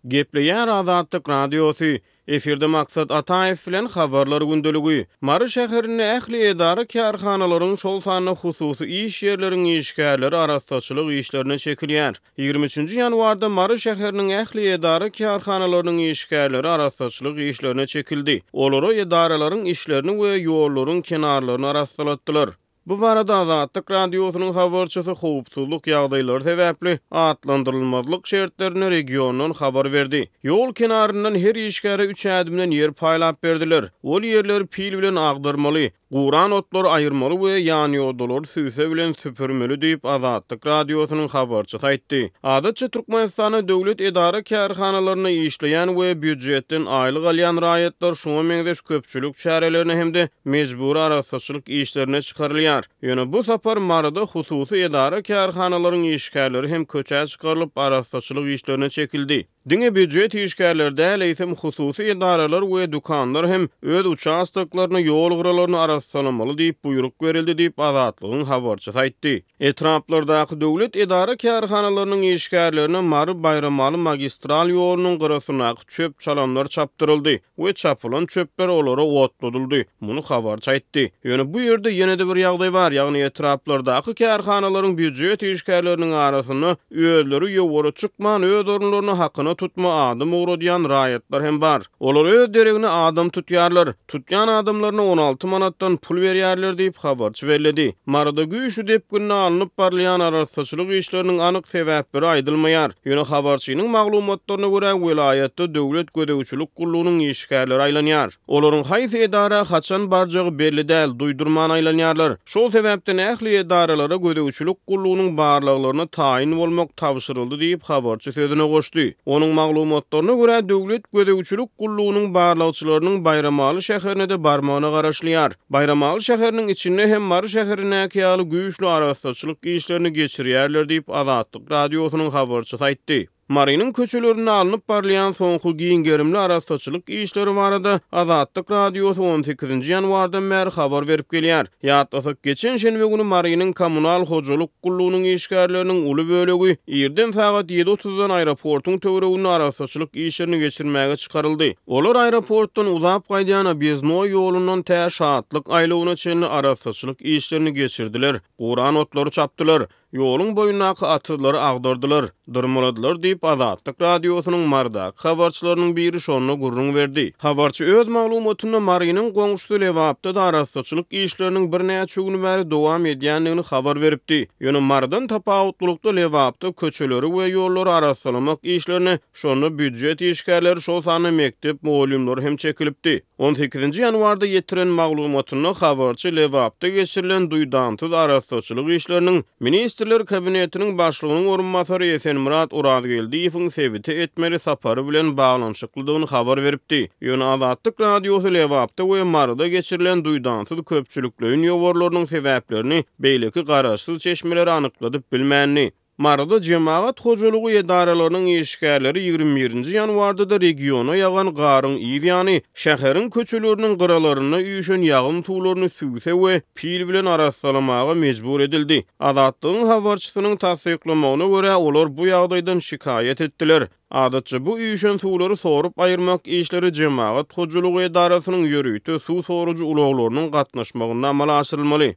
Gepleýär Azatlyk Radiosy, Efirde Maksat Ataýew bilen Habarlar gündeligi. Mary şäherinde ähli edara-kärhanalaryň, şol sanda hususy iş ýerleriň işgärleri arassaçylyk işlerine çekilýär. 23 nji ýanwarda Mary şäheriniň ähli edara-kärhanalarynyň işgärleri arassaçylyk işlerine çekildi. Olara edaralaryň işlerini we ýollaryň kenarlaryny arassalatdylar. Bu barada Azatlyk Radiosynyň habarçysy howpsuzlyk ýagdaýlary sebäpli atlandyrylmazlyk şertlerinde regiondan habar berdi. Ýol kenaryndan her işgäre üç ädimden ýer paýlap berdiler. Ol ýerleri pil bilen agdarmaly, guran otlary aýyrmaly we ýanýodalary sübse bilen süpürmeli diýip, Azatlyk Radiosynyň habarçysy aýtdy. Adatça Türkmenistanda döwlet edara-kärhanalarynda işleýän we býujetden aýlyk alýan raýatlar şuňa meňzeş köpçülik çärelerine hem-de mejbury arassaçylyk işlerine çykarylýar. Ýöne bu sapar Maryda hususy edara-kärhanalaryň işgärleri hem köçä çykarylyp, arassaçylyk işlerine çekildi. Diňe býujet işgärleri däl, eýsem hususy edaralar we dükanlar hem öz uçastoklaryny, ýol gyralaryny arassalamaly diýip buýruk berildi diýip, Azatlygyň habarçysy aýtdy. Etraplardaky döwlet edara-kärhanalarynyň işgärlerine Mary-Baýramaly magistral ýolunyň gyrasyndaky çöp-çalamlar çapdyryldy we çapylan çöpler olara otladyldy. Muny habarçy aýtdy. Ýöne bu ýerde ýene-de bir ýagdaý bar, ýagny etraplardaky kärhanalaryň býujet işgärleriniň arasynda özleri ýowara çykman, öz orunlaryna hakyna tutma adam ugradýan raýatlar hem bar. Olar öz deregine adam tutýarlar. Tutýan adamlaryna 16 manatdan pul berýärler diýip, habarçy belledi. Maryda güýçli depginde alnyp barylýan arassaçylyk işleriniň anyk sebäpleri aýdylmaýar. Ýöne habarçynyň maglumatlaryna görä, welaýatda döwlet gözegçilik gullugynyň işgärleri aýlanýar. Olaryň haýsy edara haçan barjagy belli däl, duýdurman aýlanýarlar. Şol sebäpden ähli edaralara gözegçilik gullugynyň barlaglaryna taýyn bolmak tabşyryldy diýip, habarçy sözüne goşdy. Onuň maglumatlaryna görä, döwlet gözegçilik gullugynyň barlagçylarynyň Baýramaly şäherine-de barmagyna garaşylýar. Baýramaly şäheriniň içinde hem Mary şäherindäki ýaly güýçli arassaçylyk işlerini geçirýärler diýip, Azatlyk Radiosynyň habarçysy aýtdy. Marynyň köçelerinde alnyp barylýan soňky giň gerimli arassaçylyk işleri barada Azatlyk Radiosy on sekizinji ýanwardan bäri habar berip gelýär. Ýatlasak, geçen şenbe güni Marynyň kommunal hojalyk gullugynyň işgärleriniň uly bölegi irden sagat ýedi otuzdan aeroportuň töwereginde arassaçylyk işlerini geçirmäge çykaryldy. Olar aeroportdan uzap gaýdýan Obýezdnoý ýolundan tä Şatlyk aýlawyna çenli arassaçylyk işlerini geçirdiler, guran otlary çapdylar. Ýoluň boýundaky atyzlary agdardylar, dyrmaladylar diýip, Azatlyk Radiosynyň Marydaky habarçylarynyň biri şonda gürrüň berdi. Habarçy öz maglumatynda Marynyň goňşusy Lebapda-da arassaçylyk işleriniň birnäçe gün bäri dowam edýändigini habar beripdi. Ýöne Marydan tapawutlylykda Lebapda köçeleri we ýollary arassalamak işlerine şonda býujet işgärleri, şol sanda mekdep mugallymlary hem çekilipdi. On sekizinji ýanwarda ýetiren maglumatynda habarçy Lebapda geçirilen duýdansyz arassaçylyk işleriniň Ministrler Kabinetiniň Başlygynyň orunbasary Esenmyrat Orazgeldiýewiň sebite etmeli sapary bilen baglanyşyklydygyny habar beripdi. Ýöne Azatlyk Radiosy Lebapda we Maryda geçirilen duýdansyz köpçülikleýin ýowarlarynyň sebäplerini beýleki garaşsyz çeşmelere anykladyp bilmändi. Maryda jemagat hojalygy edaralarynyň işgärleri 21 nji ýanwarda-da regiona ýagan garyň yz ýany, şäheriň köçeleriniň gyralarynda üýşen ýagyn suwlaryny sübse we pil bilen arassalamaga mejbur edildi. Azatlygyň habarçysynyň tassyklamagyna görä, olar bu ýagdaýdan şikaýat etdiler. Adatça bu üýşen suwlary sorup aýyrmak işleri jemagat hojalygy edarasynyň ýörite suw sorujy ulaglarynyň gatnaşmagynda amala aşyrylmaly.